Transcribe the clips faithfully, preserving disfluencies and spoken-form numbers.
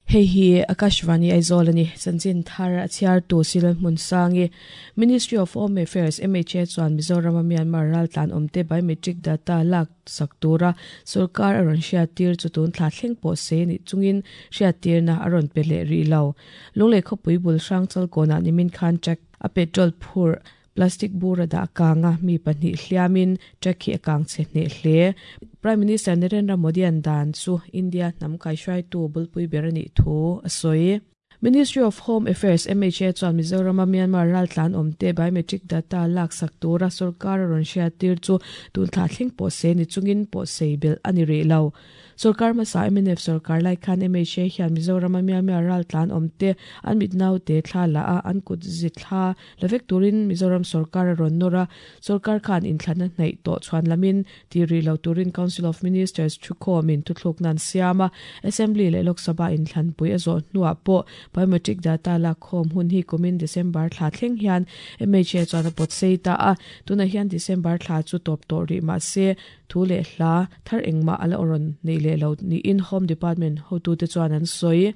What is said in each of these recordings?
Hei hi Akashvani Aizawl ani chanchin thar a chhiar tu Silal Hmunsangi Ministry of Home Affairs M H A chuan Mizoram a Myanmar raltlan awmte biometric data lak sak tura sarkar a rawn hriattir chu tun thla thleng pawh se ni chungin hriattirna a rawn pe leh rih lo. Lunglei khawpui bul hrang chalkawnah nimin khan truck a petrol phur plastic bura da kanga mi pahnih hliamin truck hi a kang che hne hle. Prime Minister Narendra Modi an dan chu India hnam kai hruai tu bulpui ber ani thu a sawi. Ministry of Home Affairs M H A chuan Mizoram a Myanmar raltlan awmte biometric data lak sak tura sarkar a rawn hriattir chu tun thla thleng pawh se ni chungin pawh sei bel ani rih lo. Sarkar hmasa M N F sarkar lai khan M H A hian Mizoram a Myanmar raltlan awmte an mit naute thla la a an kut zi thla lavek turin Mizoram sarkar a rawn nawr a sarkar khan inthlan a hnaih tawh chuan lamin ti rih lo turin Council of Ministers thukhawmin thuthluk nan siam a Assembly leh Lok Sabha inthlan pui a zawh hnuah pawh biometric data lak khawm hun hi kumin December thla thleng hian M H A chuan a pawt sei ta a tuna hian December thla chu tawp tawh rih mah se thu leh hla thar engmah ala rawn nei leh lo niin Home Department hotu te chuan an sawi.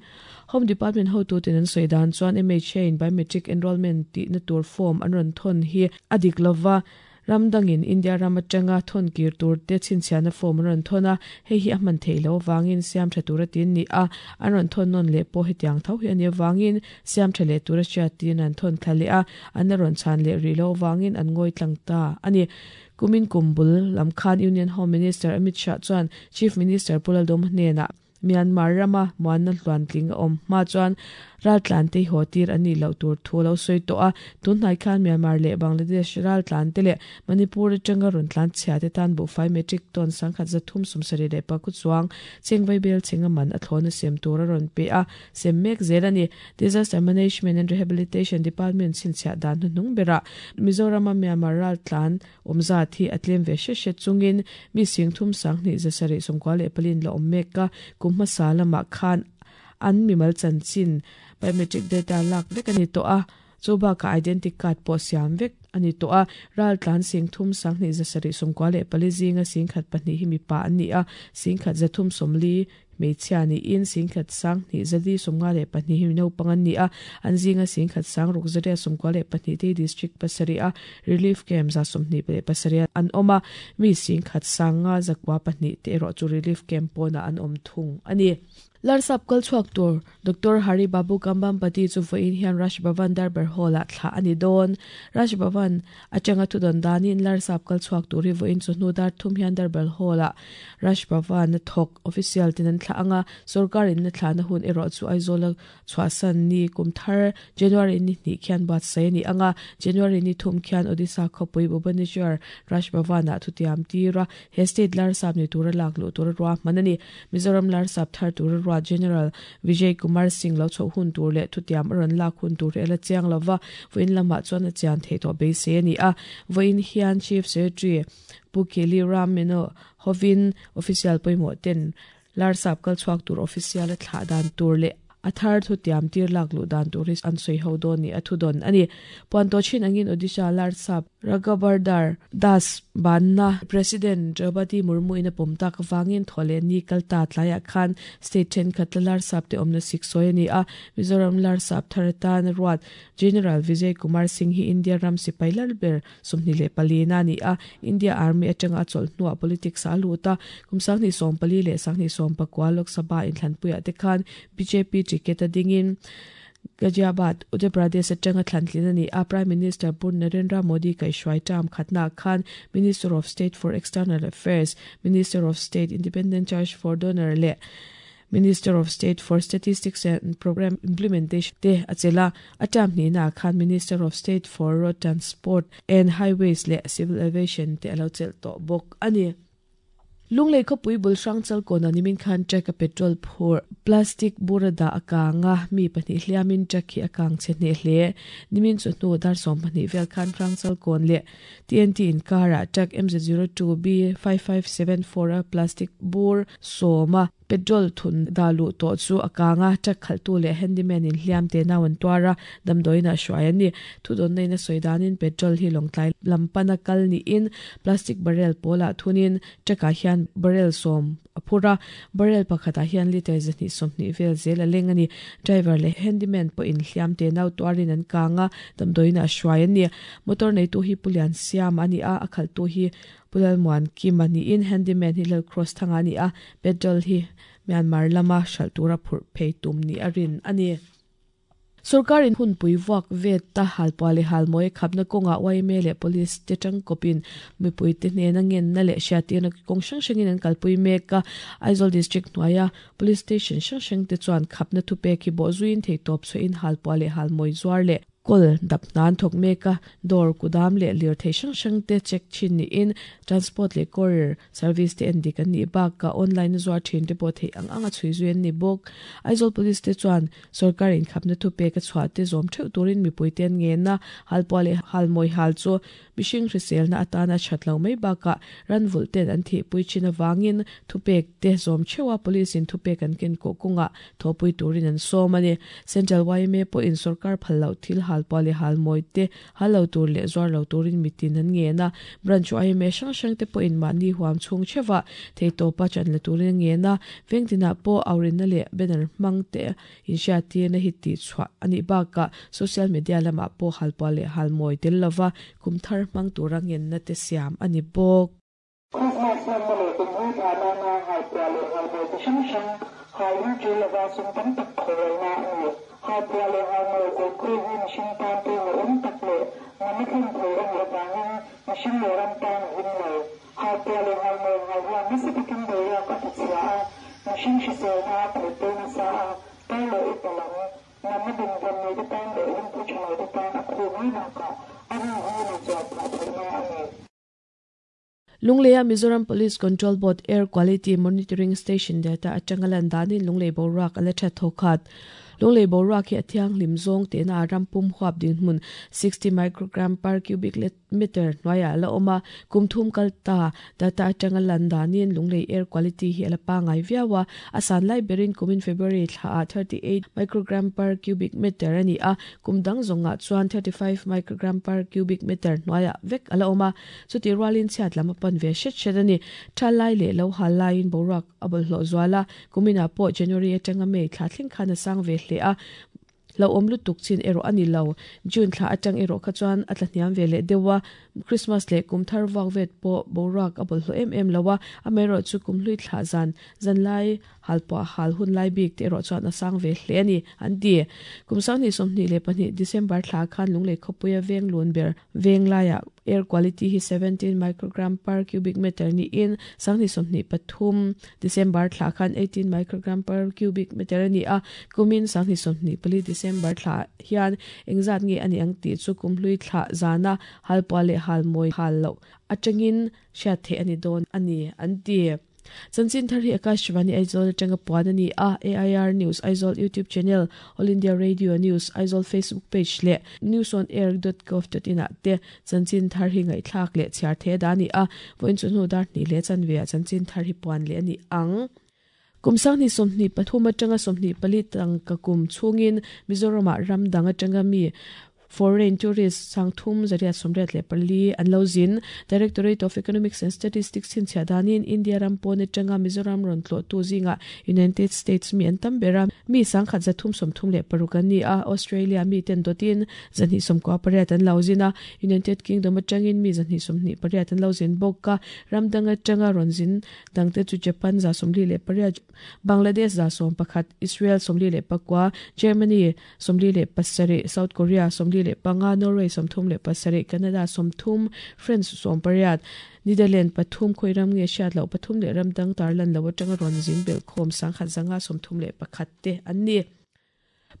Home Department hotu ten an sawi dan chuan M H A in biometric enrollment tih na tur form an rawn thawn hi a dik lova ramdangin India ram atanga thawn kir tur te chhinchhiahna form an rawn thawn a hei hi a hman theih lo wangin siam tha tura tin ni a an rawn thawn nawn leh pawh hetiang tho hi ani wangin siam tha leh tura hriat tin an thawn thla leh a an rawn chhan leh rih lo wangin an ngawi tlang ta ani. Kumin kumbul lam khan Union Home Minister Amit Shah chuan Chief Minister Pulaldom hnenah Myanmar rama muanna hluan tling a awm hma chuan raltlan te haw tir ani lo tur thu lo sawi tawh a tun hnai khan Myanmar leh Bangladesh raltlan te leh Manipur atanga rawn tlan chhia te tan buhfai metric ton sangkhat zathum sawmsarih leh pakhat chuang chengvai bel chenga man a thlawna sem tur a rawn pe a sem mek zel ani. Disaster Management and Rehabilitation Department chhinchhiah dan hnuhnung berah Mizoram a Myanmar raltlan awmza thi a tlem ve hre hre chungin mi sing thum sanghnih zasarih sawmkua leh palin la awm mek a kum hmasa lamah khan an mimal chanchin biometric data lak vek ani tawh a chu bakah identity card pawh siam vek ani tawh a raltlan sing thum sanghnih zasarih sawmkua leh pali zinga singkhat pahnih hi mipa an ni a singkhat zathum sawmli hmeichhia niin singkhat sanghnih zali sawmnga leh pahnih hi naupang an ni a an zinga singkhat sangruk zaria sawmkua leh pahnih te district pasarih a relief camp za sawmhnih leh pasarih an awm a mi singkhat sanga zakua pahnih te erawh chu relief camp pawnah an awm thung ani. Larsap kalchhuak tur Doctor Hari Babu Kambhampati chu vawiin hian Raj Bhavan Darbar Hall ah thla ani dawn. Raj Bhavan atanga thudawn danin Larsap kalchhuak tur hi vawiin chu hnu dar thum hian Darbar Hall ah Raj Bhavan a thawk official ten an thla anga sarkarin na thla na hun erawh chu Aizawl a chhuahsan ni kumthar January ni hnih khian buatsaih ani anga January ni thum khian Odisha khawpui Bhubaneswar Raj Bhavan ah thutiam tira he state Larsap ni tura lak luh tura ruahman ani. Mizoram Larsap thar tura General Vijay Kumar Singh lo chho hun tur leh thutiam a rawn lak hun tur ela chiang lova vawiin lamah chuan a chian thei tawh beisei ani a vawiin hian Chief Secretary Pu Keli Ram Meno hovin official pawimawh ten Larsap kalchhuak tur official a thlah dan tur leh a thar thutiam tir lak luh dan tur hi an sawi ho dawn ni a thudawn ani. Puan to chin angin Odisha Larsap Raghubardar Das banna President Draupadi Murmu in a pawm tak awangin thawleh ni kalta tlaiah khan state thenkhat la Larsap te awmna sik sawi ani a Mizoram Larsap thar atan ruat General Vijay Kumar Singh hi India ram sipai lalber sawmhnih leh pali na ani a India Army atanga a chawlh hnuah politics a lut a kum sanghnih sawm pali leh sanghnih sawm pakua Lok Sabha inthlanpuiah te khan B J P ticket a dingin Ghaziabad Uttar Pradesh atanga thlantlin ani a Prime Minister Pur Narendra Modi kaihhruai term khatna khan Minister of State for External Affairs, Minister of State Independent Charge for Donor leh Minister of State for Statistics and Program Implementation te achela a term hnih na khan Minister of State for Road Transport and Highways leh Civil Aviation te alo chelh tawh bawk ani. Lunglei khawpui bul hrang chalkawn nimin khan truck a petrol phur plastic bura da a kanga mi pahnih hliamin truck hi a kang che hne hle nimin chu hnu dar sawm pahnih vel khan hrang chalkawn leh T N T inkara truck M Z zero two B five five seven four a plastic bur sawma Petrol thun dalu to chu akanga truck khaltu le handyman in hliam te nawan tuara damdoina hruai ani thudon neina soidanin petrol hi longtlai lampana kal ni in plastic barrel pola thunin truck ah hian barrel som aphura barrel pakhata hian liter zani somni vel zel a leng ani driver le handyman po in hliam te nau tuarin an kanga damdoina hruai ani motor nei tu hi pulian siam ani a akhal tu hi pulal muan kim ani in handyman hi lal cross thanga ani a petrol hi Myanmar lama shaltura phur phei tum ni arin ani Sarkarin hun pui wak vet ta halpale halmoi khapna konga Y M A le police te tang kopin mipui te hne na ngen na le hriatirna kawng hrang hrangin an kalpui mek a. Aizawl district hnuaia police station hrang hrang te chuan khapna thupek hi bawh zuiin thei tawp chhuahin halpale halmawi zuar leh kol dap nan thawk mek a. Dawr kudam leh lirthei hrang hrang te check thin niin transport leh courier service te en dik an nih bakah online a zuar thin te pawh theih ang ang a chhui zui an ni bawk. Aizawl police te chuan sarkarin khapna thupek a chhuah te zawm theuh turin mipui te an ngen a. Halpuah leh halmawi hal chu mihring hriselna atana that lo mai bakah ranvulh ten an thihpui thin avangin thupek te zawm theuh a police in thupek an ken kawh kawngah thawhpui turin an sawm a ni. Central Y M A pawhin sarkar phal loh thil halpuah leh halmawi te hal lo tur leh zuar lo turin mitin an ngen a. Branch Y M A hrang hrang te pawhin mahni huam chhung theuhah theitawpa chan la turin an ngen a. Vengtinah pawh aurinna leh banner hmang te inhriattirna hi tih chhuah anih bakah social media lamah pawh halpuah leh halmawi tel lova kum thar hmang tura ngenna te siam ani bawk. Christmas hmanna leh kum hlui thlah nana halpuah leh halmawi chi hrang hrang halin tul lova sum tam tak khawrelna a ni. Halpuah leh halmawi kawlkhawi hi mihring tan pawimawh awm tak leh nana thlen thei a nih avangin mihring leh ram tan a him lo. Halpuah leh halmawi hal hian nasa takin boruak a tichhia a, mihring hriselna a khawih nasa a, tar leh upa lam, natna dinhmun nei te tan leh lungphu tha lo te tan a khu mai bakah a rin hi na chuan phah theihna a ni. Lungleia Mizoram Police Control Board Air Quality Monitoring Station data atanga lan danin Lunglei boruak ala tha thawkhat. Lunglei boruak hi a thianghlim zawng tena a rampum huap dinhmun sixty microgram per cubic meter hnuaiah ala awm a. Kum thum kal ta data atanga lan danin Lunglei air quality hi ala pangai viau a. A san lai berin kumin February thla ah thirty eight microgram per cubic meter ani a. Kum dang zawngah chuan thirty five microgram per cubic meter hnuaiah vek ala awm a. Chuti rualin chhiat lam a pan ve hret hret ani. Tha lai leh lo hal laiin boruak a bawlhhlawh zual a. Kuminah pawh January atanga May thla thleng khan a sang ve hle a. Lo awm lutuk chin erawh ani lo. June thla atang erawh kha chuan a tla hniam ve leh deuh a. Christmas leh kum thar vuak vet pawh boruak a bawlhhlawh em em lo a. Amaherawh chu kum hlui thlah zan zan lai halpuah hal hun lai bik te erawh chuan a sang ve hle ani an ti. Kum sanghnih sawmhnih leh pahnih December thla khan Lunglei khawpuia veng lun ber veng laiah air quality hi seventeen microgram per cubic meter niin sanghnih sawmhnih pathum December thla khan eighteen microgram per cubic meter ani a. Kumin sanghnih sawmhnih pali December thla hian engzat nge ani ang tih chu kum hlui thlah zana halpuah leh halmawi hal loh atangin hriat theih ani dawn ani an ti. Chanchin thar hi Akashvani Aizawl atanga puan ani a. A I R News Aizawl YouTube channel, All India Radio News Aizawl Facebook page leh newsonair dot gov dot in ah te chanchin thar hi ngaihthlak leh chhiar the da ani a. Vawiin chu hnu dar hnih leh chanve ah chanchin thar hi puan leh ani ang. Kum sanghnih sawmhnih pathum atanga sawmhnih pali tangka kum chhungin Mizoramah ram dang atanga mi foreign tourist sangthum zariat sawmriat leh pali an lo zin. Directorate of Economics and Statistics chhinchhiah danin India ram pawn atanga Mizoram rawn tlawh tu zingah United States mi an tam ber a, mi sangkhat zathum sawmthum leh paruk an ni a. Australia mi ten dawtin zahnih sawmkua pariat an lo zin a. United Kingdom atangin mi zahnih sawmhnih pariat an lo zin bawk a. Ram dang atanga rawn zin dangte chu Japan za sawmli leh pariat, Bangladesh za sawm pakhat, Israel sawmli leh pakua, Germany sawmli leh pasarih, South Korea sawmli leh panga, Norway sawmthum leh pasarih, Canada sawmthum, France sawm pariat, Netherlands pathum, khawi ram nge hriat loh pathum leh ram dang tarlan lo atanga rawn zin belh khawm sangkhat zanga sawmthum leh pakhat te an ni.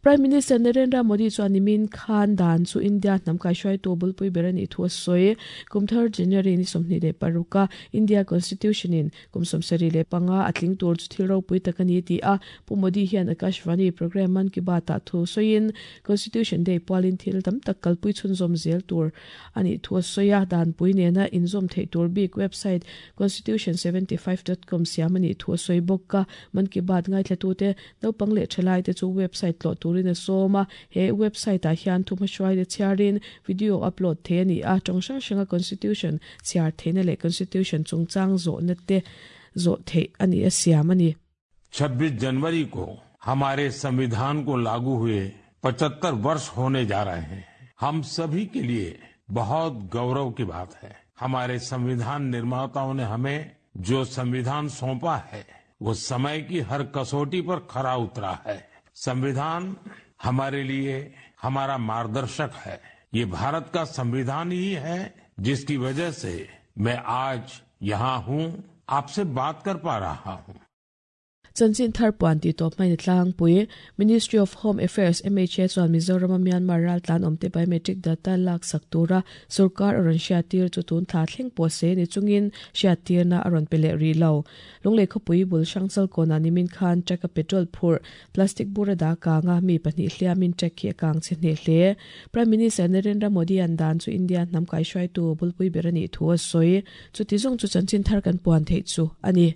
Prime Minister Narendra Modi chuan nimin khan dan chu India hnam kaihruaitu bulpui ber ani thu a sawi. Kumthar January ni sawmhnih leh paruka India Constitution in kum sawmsarih leh panga a tling tur chu thil ropui tak ani ti a. Pu Modi hian Akashvani program Man Ki Baat ah thu sawiin Constitution Day pualin thil tam tak kalpui chhunzawm zel tur ani thu a sawi a. Dan pui nena inzawm theih tur bik website constitution seventy five dot com siam ani thu a sawi bawk a. Man Ki Baat ngaithla tute naupang leh thalai te chu website tlawh tur in a sawm a. He website ah hian thu hmahruai te chhiarin video upload thei ani a. Tawng hrang hranga constitution chhiar theihna leh constitution chungchang zawhna te zawh theih ani a siam ani. छब्बीस जनवरी को हमारे संविधान को लागू हुए पचहत्तर वर्ष होने जा रहे हैं। हम सभी के लिए बहुत गौरव की बात है। हमारे संविधान निर्माताओं ने हमें जो संविधान सौंपा है वो समय की हर कसौटी पर खरा उतरा है। संविधान हमारे लिए हमारा मार्गदर्शक है। ये भारत का संविधान ही है जिसकी वजह से मैं आज यहाँ हूँ, आपसे बात कर पा रहा हूँ। Chanchin thar puan ti tawp hmain a tlangpui. Ministry of Home Affairs M H A chuan Mizoram a Myanmar raltlan awmte biometric data lak sak tura sarkar a rawn hriattir chu tun thla thleng pawh se ni chungin hriattirna a rawn pe leh rih lo. Lunglei khawpui bul hrangchal kawnah nimin khan truck a petrol phur plastic bur a dah kanga mi pahnih hliamin truck hi a kang che hneh hle. Prime Minister Narendra Modi an dan chu India hnam kaihruaitu bulpui ber a nih thu a sawi. Chuti zawng chu chanchin thar kan puan theih chu a ni.